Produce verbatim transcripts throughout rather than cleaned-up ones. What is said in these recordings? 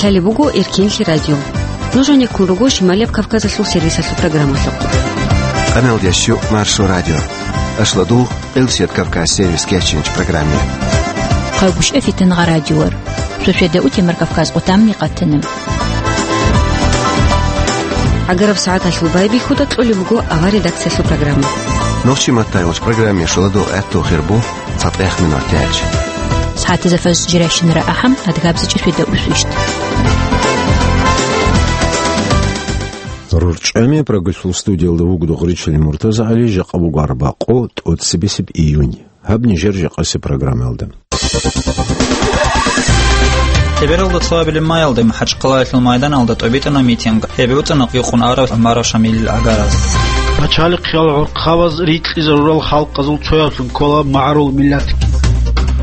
Лъалеб буго Эркенлъи радио. Нуж гьанеккун руго Шималияб Кавказалъул сервисалъул программалъухъ. Къаналдящу Маршо радио. Ашладул Къилсият Кавказ сервис кечинч программе. Хъагушев Фитангъа радиор. Суседа утемар Кавказ отамни къатана. Агараб сагӀаталъул байбихьуда кьолеб буго авар редакциялъул программа. Нохчи маттайгъулч программе шуладул гӀатту хирбу цатӀех минут тяч. СагӀатизафаз жиращинара ахӀам, адгабзичӀи светда усвищт. РорчӀами прогулъул студиялда вугдухъ ричали МуртазагӀали, жакъа буго арбакъо, тӀоцебесеб июнь. Гьаб нижер жакъасеб программаялда. Лъебералда цоабилеб майалда МахӀачхъалаялъул майданалда тӀобитӀана митинг. Гьеб буцана гьикъун арав ГӀумаров Шамилил гӀагараз. Пачалихъиял гӀурхъабаз рикьизарурал халкъазул цояблъун ккола магӀарул миллатги.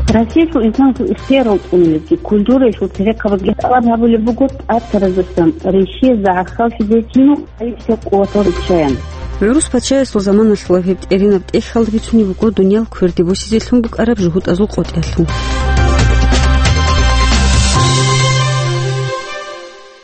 Россиялъул инсанасул ихтиярал цӀунулебги, культураялъул церехъабазги тӀалаб гьабулеб буго тӀатаразасан Россиязда гӀахьаллъизе гьинул гӀайибсеб къуватал риччаян. ГӀурус пачаясул заманалъула гьеб тӀеринаб тӀехьалда бицунеб буго дуниял кверде босизелъун букӀараб жугьутӀазул къотӀиялъул.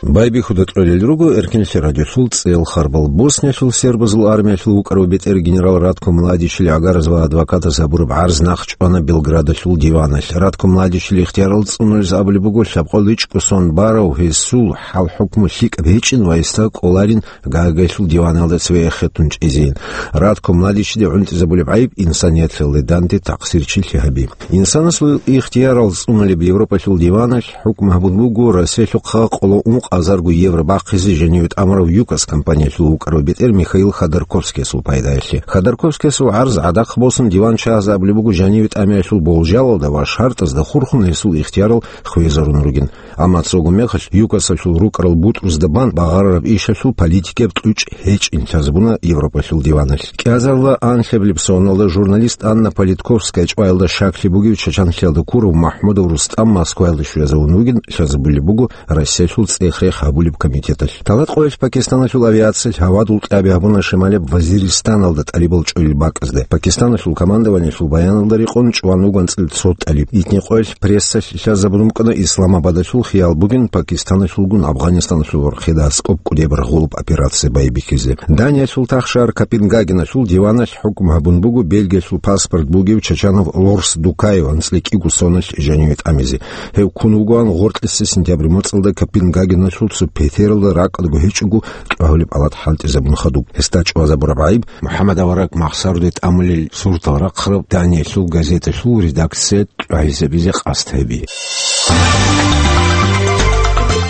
Байбихьуда кьолел руго Эркенлъи радиолъул цӀел харбал. Боснялъул сербазул армиялъул вукӀарав бетӀер генерал Ратко Младичил гӀагараз ва адвокатаз гьабураб гӀарз нахъ чӀвана Белградалъул диваналъ. Ратко Младичил ихтиярал цӀунулез абулеб буго, лъабкъоялда ичӀго сон барав гьесул хӀал-хӀукму лъикӀаб гьечӀин ва гьесда кӀоларин Гаагиялъул диваналда цеве эхетун чӀезейин. Ратко Младичиде гӀунтӀизабулеб гӀайиб инсанияталде данде такъсирчилъи гьаби. Инсанасул ихтиярал цӀунулеб Европалъул диваналъ хӀукму гьабун буго Россиялъухъа къоло ункъазарго евро бахъизе жаниве тӀамурав ЮКОС компаниялъул вукӀарав бетӀер Михаил Ходорковскиясул пайдаялъе. Ходорковскиясул гӀарз гӀадахъ босун, диван чагьаз абулеб буго жаниве тӀамиялъул болжалалда ва шартӀазда хурхун гьесул ихтиярал хвезарун ругин. Амма цого мехалъ ЮКОСалъул рукӀарал бутӀрузда бан багъарараб ишалъул политикияб кьучӀ гьечӀин лъазабуна Европалъул диваналъ. КӀиазарила анлъабилеб соналда журналист Анна Политковская чӀваялда щаклъи бугев Чачанлъиялда ккурав МахӀмудов Рустам Москваялда щвезавун вугин лъазабулеб буго Россиялъул цӀех-рех гьабулеб комитеталъ. Талакъоялъ Пакистаналъул авиациялъ гьавадул кьаби гьабуна Шималеб Вазиристаналда тӀалибал чӀвалел бакӀазде. Пакистаналъул командованиялъул баяналда рекъон чӀван вуган цӀил цо тӀалиб. Итникъоялъ прессалъ лъазабун букӀана Исламабадалъул хиял бугин Пакистаналъулгун Афганистаналъул вархъида аскӀоб кӀудеб рагъулаб операция байбихьизе. Даниялъул тахшар Копенгагеналъул диваналъ хӀукму гьабун буго Бельгиялъул паспорт бугев Чачанов Лорс Дукаев анцӀила кӀиго соналъ жаниве тӀамизе. Гьев ккун вугоан гъоркьиса сентябрь моцӀалда Копенгагеналъул цо петералда ракӀалдаго гьечӀого тӀагьулеб алат хӀалтӀизабун хадуб. Гьесда чӀвазабураб гӀайиб МухӀаммад авараг Махсаруде тӀамулел суртал рахъараб Даниялъул газеталъул редакция тӀагӀизабизе къасд гьаби.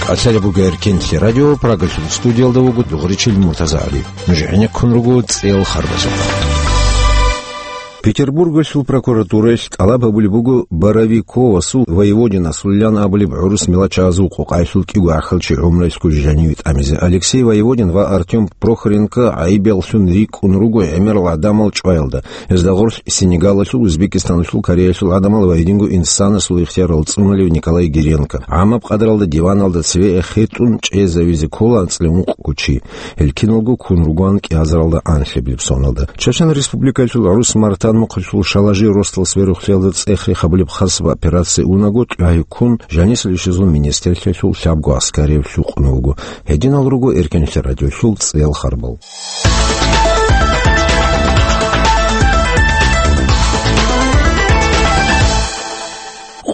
Къацалеб буго Эркенлъи радио, Прагалъул студиялда вуго Дугъричил МуртазагӀали. Нуж гӀенеккун руго цӀел харбазухъ. Петербургалъул прокуратураялъ тӀалаб гьабулеб буго Боровиковасул Воеводинасулилан абулеб гӀурус милачагӀазул къокъаялъул кӀиго гӀахьалчи гӀумруялъго жаниве тӀамизе. Алексей Воеводин ва Артём Прохоренко гӀайибаллъун рикӀкӀун руго гӀемерал гӀадамал чӀваялда. Гьезда гъорлъ Сенегалалъул, Узбекистаналъул, Кореялъул гӀадамал ва гьединго инсанасул ихтиярал цӀунулев Николай Геренко. ГӀамаб къадралда диваналда цеве эхетун чӀезавизе ккола анцӀила ункъго чи. Гьел киналго ккун ругоан кӀиазаралда анлъабилеб соналда. Чечен Республикалъул гӀурус Мартан мухъалъул Шалажи росдал сверухълъиялда цӀех-рех гьабулеб хасаб операция унаго, тӀагьи ккун, жанисел ишазул министрлъиялъул лъабго аскарияб лъукъун вуго. Гьединал руго Эркенлъи радиолъул цӀел харбал.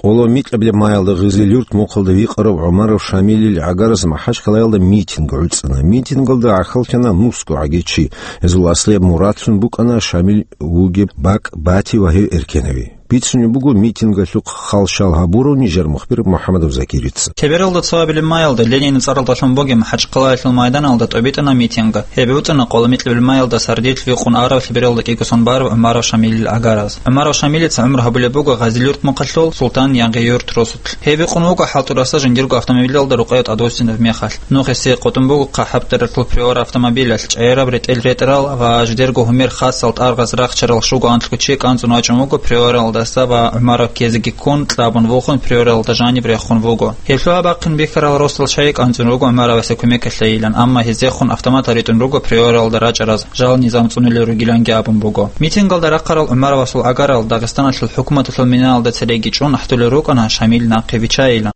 Къоло микьабилеб майалда Гъизил-Юрт мухъалда вихъарав ГӀумаров Шамилил гӀагараз МахӀачхъалаялда митинг гӀуцӀана. Митингалда гӀахьаллъана нусго гӀагичи. Гьезул аслияб мурадлъун букӀана Шамил вугеб бакӀ бати ва гьев эркенави. Бицунеб буго митингалъухъ хал-шал гьабурав нижер мухбир МухӀамадов Закирица. Лъебералда цоабилеб майалда Ленинил цӀаралдалъун бугеб МахӀачхъалаялъул майданалда тӀобитӀана митинг. Гьеб буцана къоло микьабилеб майалда сардилъ вихъун арав лъебералда кӀиго сон барав ГӀумаров Шамилил гӀагараз. ГӀумаров Шамилица гӀумру гьабулеб буго Гъазил-Юрт мухъалъул Султан Янгъи-Юрт росулъ. Гьеб бикъун вуго хӀалтӀураса жиндирго автомобилалда рукъайал тӀадвуссинаб мехалъ. Нух гьесие къотӀун буго ХъахӀаб тӀарихъул Приора автомобилалъ, чӀегӀераб ретӀел-ретӀрал ва жидерго гьумер хасал тӀаргъаз рахчарал щуго анлъго чи кӀанцӀун вачӀун вуго Приоралдаса ва ГӀумаров ккезеги ккун, кьабун вухун, Приоралда жаниб рехун вуго. Гьеб лъугьа-бахъин бихьарал росдал чагӀи кӀанцӀун руго ГӀумаровасе кумекалъе йилан, амма гьезехун автоматал ритӀун руго Приоралда рачӀараз, жал низам цӀунулел ругиланги абун буго. Митингалда рахъарал ГӀумаровасул гӀагарал Дагъистаналъул хӀукуматалъул минаялда цереги чӀун ахӀдулел рукӀана Шамил нахъе вичайилан.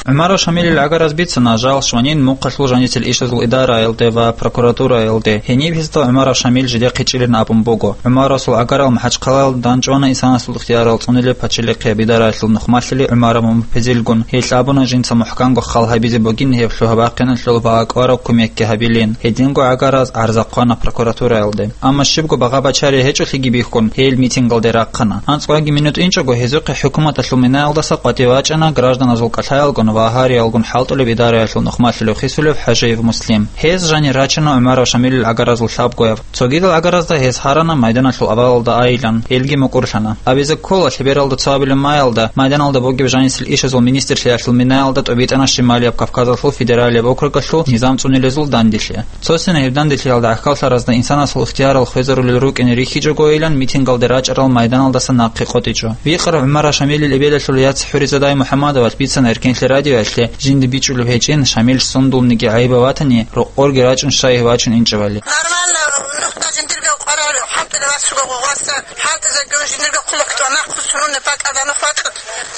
ГӀумаров Шамилил гӀагараз бицана жал щванин мухъалъул жанисел ишазул идараялде ва прокуратураялде. Гьениб гьезда ГӀумаров Шамил жидехъе чӀилин абун буго. ГӀумаровасул гӀагарал МахӀачхъалаялда дандчӀвана инсанасул ихтиярал цӀунилеб пачалихъияб идараялъул нухмалъули ГӀумаров Мумпезилгун. Гьелъ абуна жинца мухӀканго хал гьабизе бугин гьеб лъугьа-бахъиналъул ва акӀвараб кумекги гьабилин. Гьединго гӀагараз гӀарза хъвана прокуратураялде. Амма щибго багъа-бачарие гьечӀолъиги бихьун, гьел митингалде рахъана. АнцӀкъоги минут инчӀого гьезухъе хӀукуматалъул минаялдаса къватӀив вачӀана гражданазул кӀалъаялгун ва гьариялгун хӀалтӀулеб идараялъул нухмалъулев хисулев ХӀажиев Муслим. Гьез жанир рачана ГӀумаров Шамилил гӀагаразул лъабгояб. Цогидал гӀагаразда гьез гьарана майданалъул авалалда айилан, гьелги мукӀурлъана. Абизе ккола, лъебералда цо абилеб маялда майданалда бугеб жанисел ишазул министрлъиялъул минаялда тӀобитӀана Шималияб Кавказалъул федералияб округалъул низам цӀунилезул данделъи. Цосина гьеб данделъиялда гӀахьаллъаразда инсанасул ихтиярал хвезарулел рукӀине рихьичӀогойилан митингалде рачӀарал майданалдаса нахъе къотӀичӀо. Викъар ГӀумаров Шамилил эбелалъул яц ХӀуризадай МухӀаммадовас бицана Эркенлъи радиоялъе, жинда бичӀчӀулеб гьечӀин, Шамил сундулниги гӀайибав ватани, рокъорги рачӀун щай вачун инчӀевали. Нормально, нухда жиндирго къварал хӀалтӀизе ваччуго гъугъваса, хӀалтӀизеги жиндирго хъулухъ тӀуна, хъусуруне пакъадан хватӀ.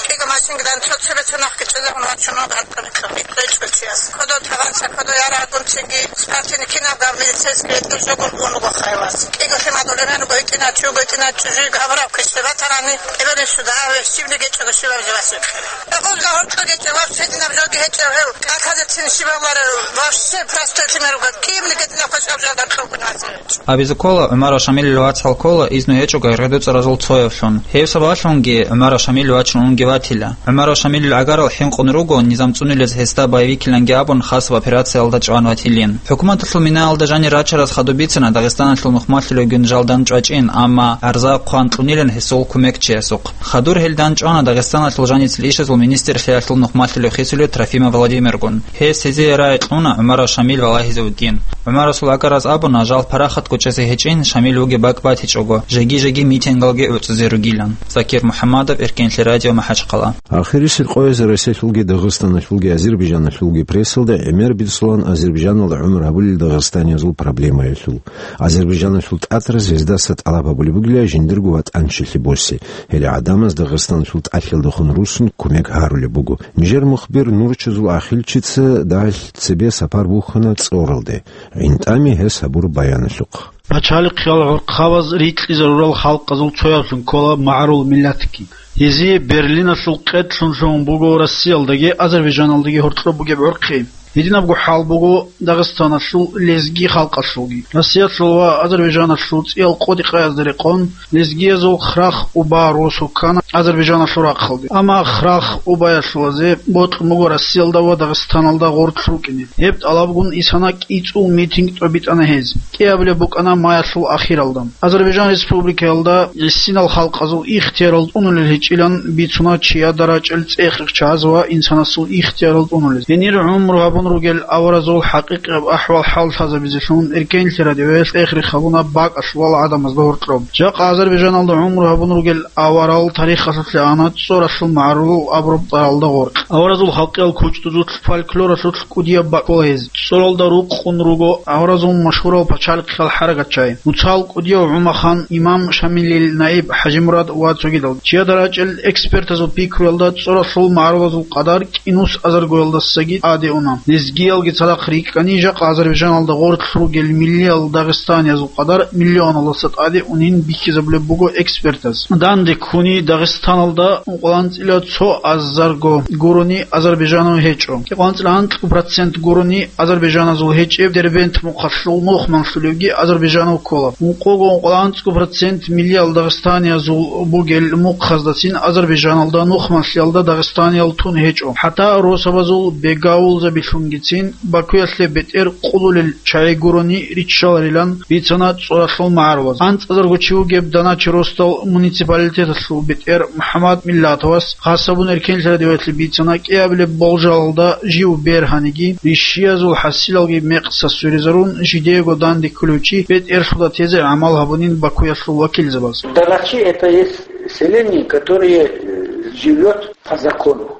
КӀиго машинкадан цо цебе цо нахъги чӀезегӀун вачуна, гьартӀа бикьа бикьа ичӀго чияс. Кодо таван са, кодо ярагъгун цинги спортивный киналда милицейский гьечӀо жогун ун руго хайлас. КӀиго лъимадул эмен руго гьитӀина чуго гьитӀина чӀужуги гьабураб квешлъи батарани, эбелин суда гьаве щибни гьечӀого щивав жавасихъе. Гьезда гьоркьо гьечӀо вообще гьединаб жоги гьечӀев гьев. Калхазецин щибавларе вообще простой лъимер руго. Кибни гьединаб квешаб жо гьоркьо гьечӀо. Абизе ккола, ГӀумаров Шамилил вацал ккола изну гьечӀого гӀергъи дуцӀаразул цоявлъун. Гьеб сабаблъунги ГӀумаров Шамил вачун унги ватила. ГӀумаров Шамилил гӀагарал хӀинкъун руго, низам цӀунилез гьесда боевикиланги абун хасаб операциялда чӀван ватилин. ХӀукуматалъул минаялда жанир рачараз хадуб бицана Дагъистаналъул нухмалъулевгун жал дандчӀвачӀин, амма гӀарза хъван кьунилан гьесул кумекчиясухъ. Хадур гьел дандчӀвана Дагъистаналъул жаницел ишазул министрлъиялъул нухмалъулев хисулев Трофимов Владимиргун. Гьес гьезие рагӀи кьуна ГӀумаров Шамил валагьизе вугин. ГӀумаровасул гӀагараз абуна, жал парахатго чӀезе гьечӀин, Шамил вугеб бакӀ батичӀого, жеги-жеги митингалги гӀуцӀизе ругилан. Закир МухӀаммадов, Эркенлъи радио, МахӀачхъала. Ахирисел къоязда Россиялъулги Дагъистаналъулги Азербайжаналъулги прессалда гӀемер бицлъулан Азербайжаналда гӀумру гьабулел дагъистаниязул проблемаялъул. Азербайжаналъул тӀатӀаразе гьездаса тӀалаб гьабулеб бугила жиндирго ватӀанчилъи босе. Гьеле гӀадамаз Дагъистаналъул тӀалъиялдехун руссун кумек гьарулеб буго. Нижер мухбир Нурчазул Ахилчица дагьалъ цебе сапар бухьана ЦӀоралде. ГӀинтӀами гьес гьабураб баяналъухъ. Пачалихъиял гӀурхъабаз рикьизарурал халкъазул цоявлъун ккола магӀарул миллатги. Гьезие Берлиналъул къедлъун лъугьун буго Россиялдаги Азербайжаналдаги гьоркьоб бугеб гӀурхъи. Гьединабго хӀал буго Дагъистаналъул лезги халкъалъулги. Россиялъул ва Азербайжаналъул цӀиял къодикъаязда рекъон, лезгиязул Храх-Уба росу ккана Азербайжаналъул рахъалде. Амма Храх-Убаялъулазе бокьун буго Россиялда ва Дагъистаналда гъорлъ рукӀине. Гьеб тӀалабгун исана кӀицӀул митинг тӀобитӀана гьез. КӀиабилеб букӀана маялъул ахиралда. Азербайжан Республикаялда гӀисинал халкъазул ихтиярал тӀунулел гьечӀилан бицуна чияда рачӀел цӀех-рехчаз ва инсанасул ихтиярал тӀунулез. Гьенир гӀумру гьабун ругел аваразул хӀакъикъияб ахӀвал хӀалтӀизабизелъун Эркенлъи радиоялъ цӀех-рех гьабуна бакӀалъулал гӀадамазда гьоркьоб. Жакъа Азербайжаналда гӀумру гьабун ругел аварал тарихалъулъе ана ЦӀоралъул магӀарулал абураб цӀаралда гъоркь. Аваразул халкъиял кучӀдузулъ, фольклоралъулъ кӀудияб бакӀ ккола гьез. ЦӀоралда рукъун руго аваразул машгьурал пачалихъиял хӀаракатчагӀи, нуцал кӀудияв ГӀумахан, имам Шамилил наиб ХӀажимурад ва цогидал. Чияда рачӀел экспертазул пикруялда, ЦӀоралъул магӀарулазул къадар кӀинус азаргоялдасаги тӀаде уна. Лезгиялги цадахъ рикӀкӀани, жакъа Азербайжаналда гъорлъ ругел миллиял дагъистаниязул къадар миллионалдаса тӀаде унин бихьизабулеб буго экспертаз. Данде ккуни Дагъистаналда ункъоялда анцӀила цо азарго гурони азербайжанав гьечӀо. Кьикъоялда анцӀила анкьго процент гурони азербайжаназул гьечӀеб, Дербент мухъалъул нухмалъулевги азербайжанав ккола. Ункъого ункъоялда анцӀго процент миллиял дагъистаниязул бугел мухъаздацин Азербайжаналда нухмалъиялда дагъистаниял тун гьечӀо. ХӀатта росабазул бегавулзабилъунгицин Бакуялъе бетӀер къулулел чагӀи гурони риччаларилан бицана ЦӀоралъул магӀарулаз. АнцӀазарго чи вугеб Даначи росдал муниципалитеталъул бетӀер МухӀаммад Миллатовас хасабун Эркенлъи радиоялъе бицана, кӀиабилеб болжалалда жив бергьаниги, рищиязул хӀасилалги мекъса сверизарун, жидеего данде кколев чи бетӀерлъуда тезе гӀамал гьабунин Бакуялъул вакилзабаз. Даначи это есть селение, которое, э, живёт по закону.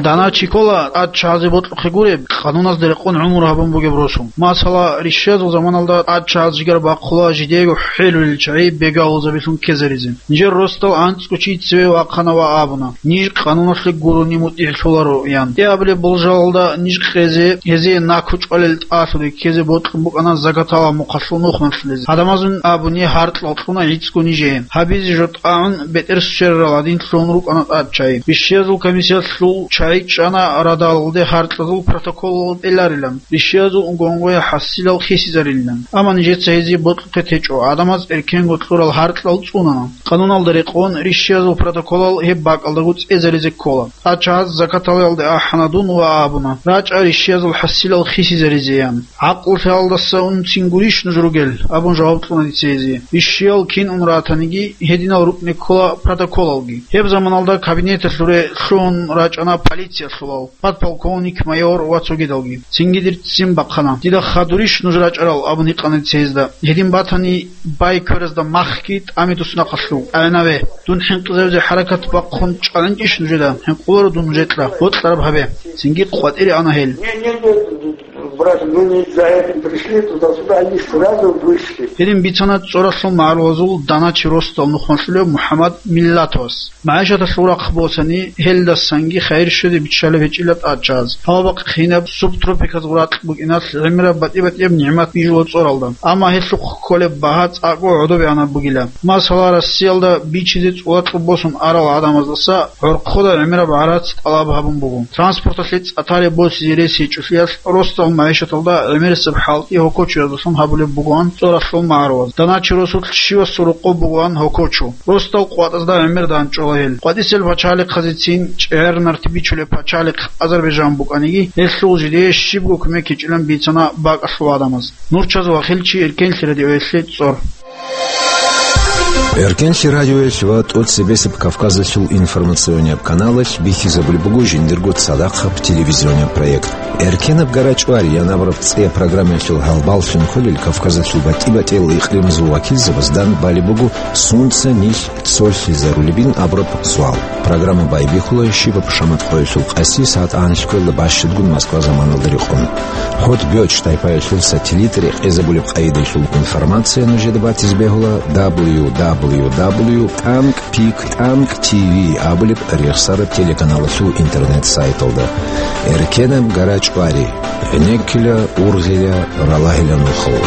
Дана чи ккола тӀадчагӀазе бокьухъе гуреб, къануназда рекъон гӀумру гьабун бугеб росу. Масала, рищиязул заманалда тӀадчагӀаз жигар бахъула жидеего хӀелулел чагӀи бегавулзабилъун ккезаризе. Нижер росдал анцӀго чи цеве вахъана ва абуна: «Ниж къануналъе гурони мутӀигӀлъуларо», – ян. ТӀе абулеб болжалалда ниж къезе, гьезие наку чӀвалел тӀалъуде ккезе бокьун букӀана закаталал мухъалъул нухмалъулез. Гьадамазун абуни гьаркьал кьуна гӀицӀго нижее. Гьабизе жо тӀагӀун бетӀер сверарал гьадин лъугьун рукӀана тӀадчагӀи. Рищиязул комиссиялъул чагӀи чӀана радалалде гьаркьазул протоколал пӀеларилан, рищиязул унгонгоя хӀасилал хисизарилилан. Амма нижеца гьезие бокьухъе течӀо, гӀадамаз эркенго кьурал гьаркьал цӀунана. Къануналда рекъон, рищиязул протоколал гьеб бакӀалдаго цӀезаризе ккола. ТӀадчагӀаз закаталалде ахӀана дун ва абуна: «РачӀа рищиязул хӀасилал хисизаризе», – ян. «ГӀакълу лъалалдаса унцин гурищ нуж ругел?» – абун жаваб кьуна дица гьезие. Рищиял кин ун ратаниги, гьединал рукӀине ккола протоколалги. Гьеб заманалда кабинеталъуре лъугьун рачӀана полициялъулал, подполковник, майор ва цогидалги. Цинги дир ццин бахъана. «Дида хадурищ нуж рачӀарал?» – абун гьикъана дица гьезда. Гьедин батани, бай кверазда махги тӀами дус нахъалъув. ТӀагӀинаве, дун хӀинкъизавизе хӀаракат бахъун чӀвананчӀищ нужеда? ХӀинкъуларо дун нужекьа. Бокьараб гьабе. Цинги къватӀире ана гьел. Не, не, не, брат, мы не за этим пришли, туда-сюда, они сразу вышли. Гьедин бицана ЦӀоралъул магӀарулазул даначи росдал нухмалъулев МухӀаммад Миллатовас. МагӀишаталъул рахъ босани, гьелдасанги хайир щвезе биччалеб гьечӀила тӀадчагӀаз. Гьалабахъ кинаб субтропиказ гъуракь букӀиналъ гӀемераб батӀи-батӀияб нигӀмат бижула ЦӀоралда. Амма гьелъухъ кколеб багьа цӀакъго гӀодобегӀанаб бугила. Масала, Россиялда бичизе цӀулакьу босун арал гӀадамаздаса гӀорхъода гӀемераб гӀарац тӀалаб гьабун буго. Транспорталъе цӀатаре босизе рес гьечӀолъиялъ росдал магӀишаталда гӀемерисеб хӀалтӀи гьокочуяздалъун гьабулеб бугоан ЦӀоралъул магӀарулаз. Даначи росулъ щивасул рокъоб бугоан гьокочу. Росдал къватӀазда гӀемер данчӀола гьел. КъватӀисел пачалихъазецин чӀегӀер нарти бичулеб пачалихъ Азербайжан букӀаниги, гьелъул жидее щибго кумек гьечӀилан бицана бакӀалъул гӀадамаз. Нурчаз Вахилчи, Эркенлъи радиоялъе ЦӀор. Эркенлъи радиоялъ ва тӀоцебесеб Кавказалъул информационияб каналалъ бихьизабулеб буго жиндирго цадахъаб телевизионияб проект. Эркенаб гара чӀвари, я абураб цӀияб программаялъул гьалбаллъун кколел Кавказалъул батӀи-батӀиял икълимазул вакилзабазда балеб буго сунца нилъ цолъизарулебин абураб суал. Программа байбихьула Щибаб ШаматӀ къоялъул къаси сагӀат анлъго ккоялда бащадгун Москва заманалда рекъон. ХӀотӀ Гёч тайпаялъул сателлит рекъезабулеб къайдалъул информация нужеда батизе бегьула W W W тӀанкӀ пик тӀанкӀ Т В абулеб рехсараб телеканалалъул интернет-сайталда. Эркенаб гара чӀвари, гӀенеккила, ургъила, ралагьила нухал.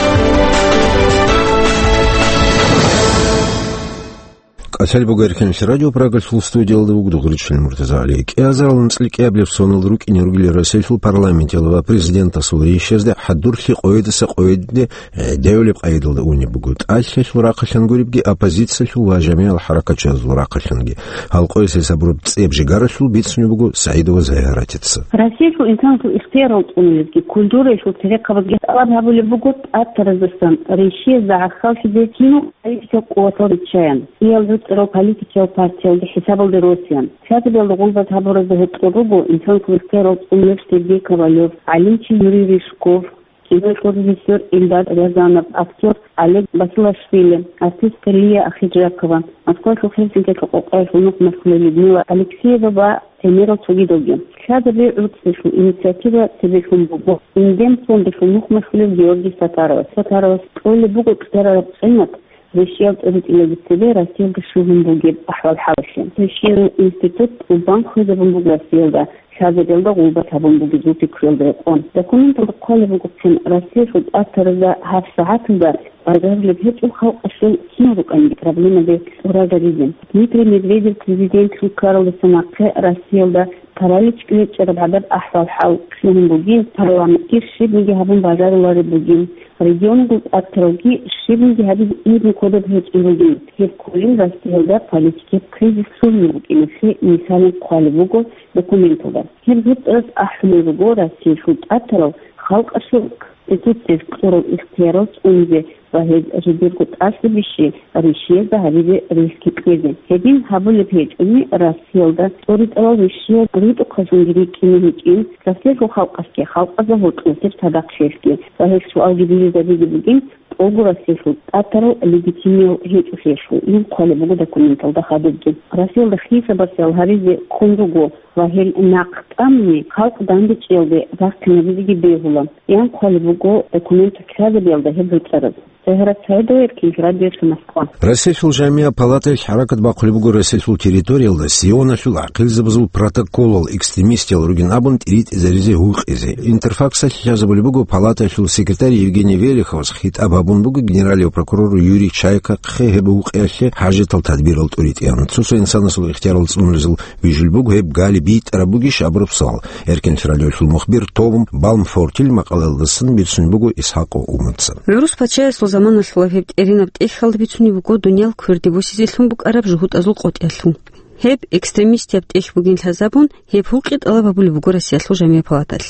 КӀалъалеб буго Эркенлъи радио, Прагалъул студиялда вуго Дугъричилан МуртазагӀали. КӀиазарал анцӀила кӀиабилеб сонал рукӀине ругел Россиялъул парламенталда ва президентасул рейсазде хӀадурлъи къоядаса къояде гӀедевлеб къайдалда унеб буго. ТӀалъалъул рахъалъан гуребги, оппозициялъул ва жамигӀал хӀаракатчиязул рахъалъанги. Гьал къоясе сабраб цӀеб жигаралъул бицунеб буго СагӀидова Загьаратица. Россиялъул инсанасул ихтиярал цӀунулезги, культураялъул церехъабазги тӀалаб гьабулеб буго тӀатараздасан Россиязда гӀахьаллъизе кинал политикал къуватал риччаян, кӀиял рукӀарал политикиял партиялги хӀисабалде росеян, лъазабиялда гъулбат гьабуразда гьоркьор руго инсанасул ихтиярал цӀунулев Сергей Ковалев, гӀалимчи Юрий Рыжков, киноялъул режиссер Эльдар Рязанов, актер Олег Басилашвили, артистка Лия Ахиджакова, Москвалъул Хельсинкиялъул къокъаялъул нухмалъулев Людмила Алексеева ва гӀемерал цогидалги. Лъазаби гӀурцӀиялъул инициатива цебелъун буго Индем фондалъул нухмалъулев Георгий Сатаровас. Сатаровас кьолеб буго цӀерараб къимат Россиялда тӀадитӀилаги цебе Россиялда щугьун бугеб ахӀвал-хӀалалъе. Россиялъул институт тӀубан хвезабун буго Россиялда, лъазабиялда гъулбат гьабун бугезул пикруялда рекъон. Документалда хъвалеб бугоцин, Россиялъул тӀатаразда гьаб сагӀаталда бажарулеб гьечӀо халкъалъул кинал рукӀаниги проблемаби тӀураб гьаризе. Дмитрий Медведев президентлъун ккаралдаса нахъе Россиялда паралич кьечӀараб гӀадаб ахӀвал-хӀал лъугьун бугин, парламентги щибниги гьабун бажарулареб бугин, регионалъул тӀатаралги щибниги гьабизе ирни кодоб гьечӀеб бугин. Гьеб кколин Россиялда политикияб кризис лъугьине букӀиналъе мисалин хъвалеб буго документалда. Гьеб гьеб тӀарас ахӀулел руго Россиялъул тӀатарал халкъалъул Конституциялъ кьурал ихтиярал цӀунизе ва гьез жидерго тӀаса бищи Россиязда гьабизе релълъи кьезе. Гьедин гьабулеб гьечӀони, Россиялда тӀоритӀарал вищиял ритӀухъалъунги рикӀкӀине гьечӀин, Россиялъул халкъалъги, халкъазда гьоркьосеб цадахъ чиясги ва гьел суалги бижизабизе бугин, буго Россиялъул тӀатарал легитимиял гьечӀолъиялъул, ин хъвалеб буго документалда хадубги. Россиялда хисаб-барсиял гьаризе ккун руго ва гьел нахъ тӀамни халкъ дандечӀиялде рахъинабизеги бегьула, ин хъвалеб буго документалъ лъазабиялда гьеб гьуцӀараз. Загьират СагӀидова, Эркин радиоялъ, Москва. Россиялъул Жамигьа палатаялъ хӀаракат бахъулеб буго Россиялъул территориялда Сионалъул ахӀилзабазул протоколал экстремистиял ругин абун тӀиритӀизаризе гьукъизе. Интерфаксалъ лъазабулеб буго палатаялъул секретарь Евгений Велиховас хитӀаб гьабун буго генералияв прокурор Юрий Чайкахъе гьеб гьукъиялъе хӀажатал тадбирал тӀуритӀеян. Цо-цо инсанасул ихтиярал цӀунулезул вижулеб буго гьеб гали битӀараб бугищ абураб суал. Эркин радиоялъул мухбир Том Балмфортил макъалаялдасан бицунеб буго Исхакъов Уманца. ГӀурус пачаясул заманалъула гьеб тӀеринаб тӀехьалда бицунеб буго дуниял кверде босизелъун букӀараб жугьутӀазул къотӀиялъул. Гьеб экстремистияб тӀехь бугин лъазабун, гьеб гьукъи тӀалаб гьабулеб буго Россиялъул Жамигьа палаталъ.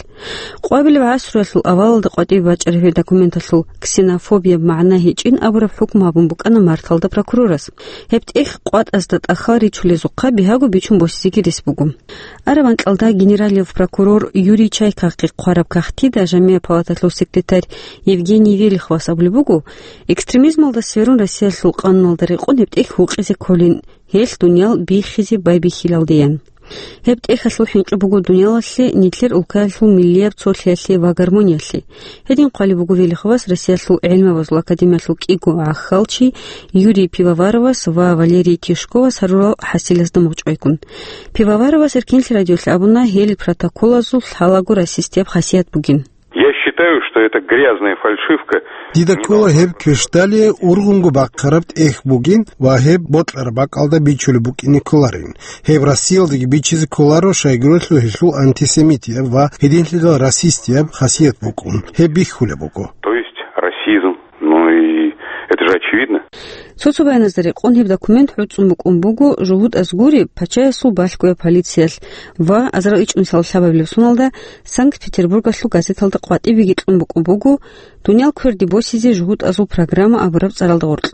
Къвабилеб гӀасруялъул авалалда къватӀибе бачӀараб гьеб документалъул ксенофобияб магӀна гьечӀин абураб хӀукму гьабун букӀана марталда прокурорас. Гьеб тӀехь къватӀазда тӀахьал ричулезухъа бигьаго бичун босизеги рес буго. Араб анкьалда генералияб прокурор Юрий Чайкахъе хъвараб кагътида Жамигьа палаталъул секретарь Евгений Велиховас абулеб буго, экстремизмалда сверун Россиялъул къануналда рекъон гьеб тӀехь гьукъизе кколин, гьелъ дуниял биххизе байбихьилалдеян. Гьеб тӀехьалъул хӀинкъи буго дуниялалъе, нилъер улкаялъул миллияб цолъиялъе ва гармониялъе. Гьедин хъвалеб буго Велиховас Россиялъул гӀелмабазул академиялъул кӀиго гӀахьалчи Юрий Пивоваровас ва Валерий Тишковас гьарурал хӀасилазда мугъчӀвайгун. Пивоваровас Эркин радиолъ абуна гьел протоколазул лъалаго расистияб хасият бугин. Я считаю, что это грязная фальшивка. Дида ккола гьеб квешлъалъе ургъунго бахъараб тӀехь бугин ва гьеб бокьараб бакӀалда бичулеб букӀине кколарин. Гьеб Россиялдаги бичизе кколаро, щайгурелъул гьелъул антисемитияб ва гьединлъидал расистияб хасият букӀун. Гьеб бихьулеб буго. То есть расизм. Ну и это же очевидно. Цо-цо баяназда рекъон гьеб документ гӀуцӀун букӀун буго жугьутӀаз гуреб пачаясул балъгояб полициялъ ва азарал ичӀнусиялда лъабабилеб соналда Санкт-Петербургалъул газеталда къватӀибеги кьун букӀун буго «Дуниял кверде босизе жугьутӀазул программа» абураб цӀаралда гъоркь.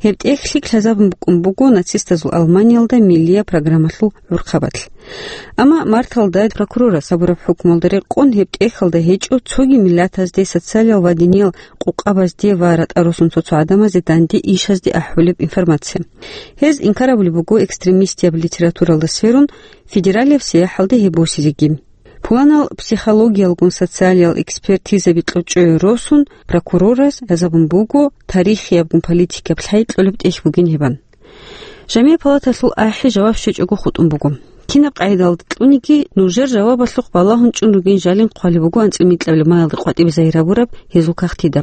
Гьеб тӀехь лъикӀ лъазабун букӀун буго нацистазул Алманиялда миллияб программалъул гӀурхъабалъ. Амма марталда прокурорас абураб хӀукмуялда рекъон гьеб тӀехьалда гьечӀо цоги миллатазде, социалиял ва диниял къукъабазде ва ратӀа-росун цо-цо гӀадамазде данде ишазде ахӀулеб информация. Гьез инкар абулеб буго экстремистияб литературалда сверун федералияб сияхӀалде гьеб босизеги. Пуланал психологиялгун социалиял экспертизаби кьучӀое росун, прокурорас лъазабун буго тарихиябгун политикияб лъай кьолеб тӀехь бугин гьебан. Жамигьа палаталъул ахӀи жаваб щвечӀого хутӀун буго. Кинаб къагӀидалда кьуниги, нужер жавабалъухъ балагьун чӀун ругин жалин хъвалеб буго анцӀила микьабилеб маялда къватӀибе загьир гьабураб гьезул кагътида.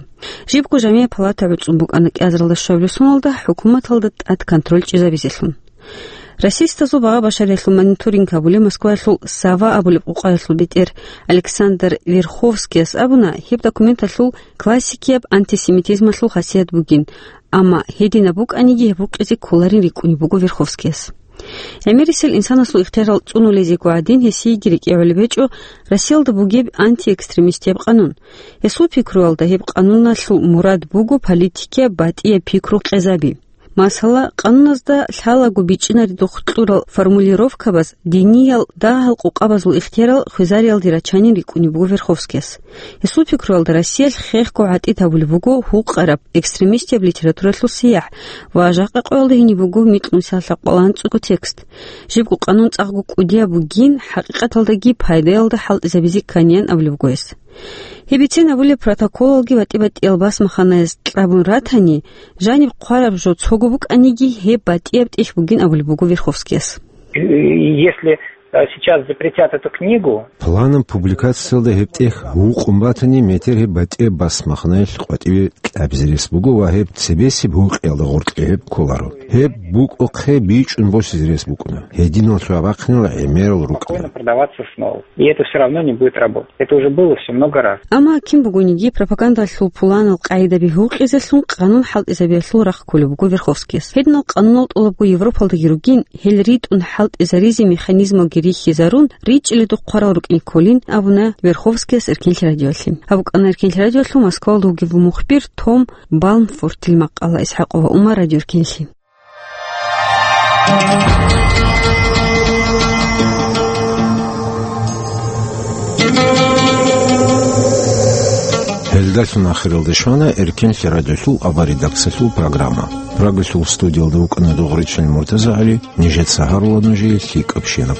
Жибго Жамигьа палата гӀуцӀун букӀана кӀиазаралда щвабилеб соналда хӀукуматалда тӀад контроль чӀезабизелъун. Расистазул багъа-башариялъул мониторинг гьабулев Москваялъул «Сова» абулеб къукъаялъул бетӀер Александр Верховскияс абуна, гьеб документалъул классикияб антисемитизмалъул хасият бугин, амма гьединаб букӀаниги гьеб гьукъизе кколарин рикӀкӀунеб буго Верховскияс. ГӀемерисел инсанасул ихтиярал цӀунулезего гӀадин гьесиеги рекӀегӀолеб гьечӀо Россиялда бугеб антиэкстремистияб къанун. Гьесул пикруялда гьеб къануналъул мурад буго политикияб батӀияб пикру къезаби. Масала, къануназда лъалаго бичӀчӀинаредухъ кьурал формулировкабаз диниял дагьал къукъабазул ихтиярал хвезариялде рачанин рикӀкӀунеб буго Верховскияс. Гьесул пикруялда Россиялъ хехго гӀатӀид гьабулеб буго гьукъараб экстремистияб литературалъул сияхӀ ва жакъа къоялда гьиниб буго микьнусиялъа къолан цӀукӀу текст. Жибго къанун цӀакъго кӀудияб бугин, хӀакъикъаталдаги пайдаялда хӀалтӀизабизе кканиян абулеб буго гьес. Гьеб бицен абулеб протоколалги батӀи-батӀиял басмаханаяз кьабун ратани, жаниб хъвараб жо цого букӀаниги, гьеб батӀияб тӀехь бугин абулеб буго Верховскияс. Если, э, сейчас запретят эту книгу, Пуланаб публикациялда гьеб тӀехь гьукъун батани, метер гьеб батӀияб басмаханаялъ къватӀибе кьабизе рес буго ва гьеб цебесеб гьукъиялда гъоркье гьеб кколаро. Гьеб букӀухъе бичӀчӀун босизе рес букӀуна. Гьединал щвабахъинал гӀемерал рукӀана. Спокойно продаваться снова. И это всё равно не будет работать. Это уже было всё много раз. Амма кин бугониги пропагандалъул пуланал къагӀидаби гьукъизелъун къанун хӀалтӀизабиялъул рахъ кколеб буго Верховскияс. Гьединал къанунал тӀолабго Европалдаги ругин, гьел ритӀун хӀалтӀизаризе механизмалги рихьизарун, ричӀчӀиледухъ хъварал рукӀин кколин, абуна Верховскияс Эркинлъи радиоялъе. Гьаб букӀана Эркинлъи радиоялъул Москвалда вугев мухбир Том Балмфортил макъала. Исхакъова Умар, Радио Эркинлъи. Гьел Дарсун ахиралде щвана Эркенлъи радиолъул аваридаксалъул программа. Прагалъул студиялда вукӀана Дугъричил МуртазагӀали, нижеца гьарула нужее лъикӀабщинаб.